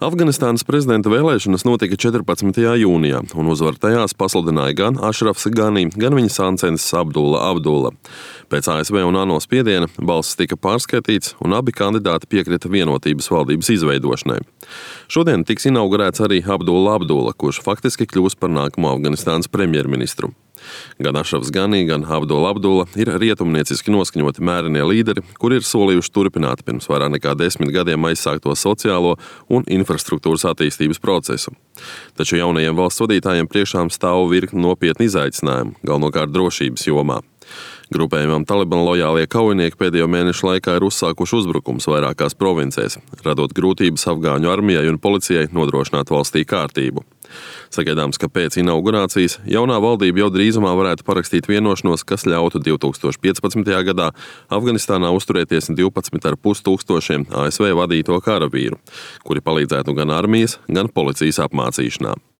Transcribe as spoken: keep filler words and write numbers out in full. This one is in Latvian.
Afganistānas prezidenta vēlēšanas notika četrpadsmitajā jūnijā, un uzvaru tajās pasludināja gan Ašrafs Gani, gan viņa sāncensis Abdulla Abdulla. Pēc A S V un ANO spiediena balsis tika pārskaitīts, un abi kandidāti piekrita vienotības valdības izveidošanai. Šodien tiks inaugurēts arī Abdulla Abdulla, kurš faktiski kļūs par nākamo Afganistānas premjerministru. Gan Ašrafs Gani, gan Abdulla Abdulla ir rietumnieciski noskaņoti mērinie līderi, kuri ir solījuši turpināt pirms vairāk nekā desmit gadiem aizsākto sociālo un infrastruktūras attīstības procesu. Taču jaunajiem valsts vadītājiem priekšām stāv virkni nopietni izaicinājumu, galvenokārt drošības jomā. Grupējumam Taliban lojālie kaujinieki pēdējo mēnešu laikā ir uzsākuši uzbrukums vairākās provincēs, radot grūtības afgāņu armijai un policijai nodrošināt valstī kārtību. Sagaidāms, ka pēc inaugurācijas jaunā valdība jau drīzumā varētu parakstīt vienošanos, kas ļautu divi tūkstoši piecpadsmitajā gadā Afganistānā uzturēties divpadsmit ar pus tūkstošiem A S V vadīto karavīru, kuri palīdzētu gan armijas, gan policijas apmācīšanā.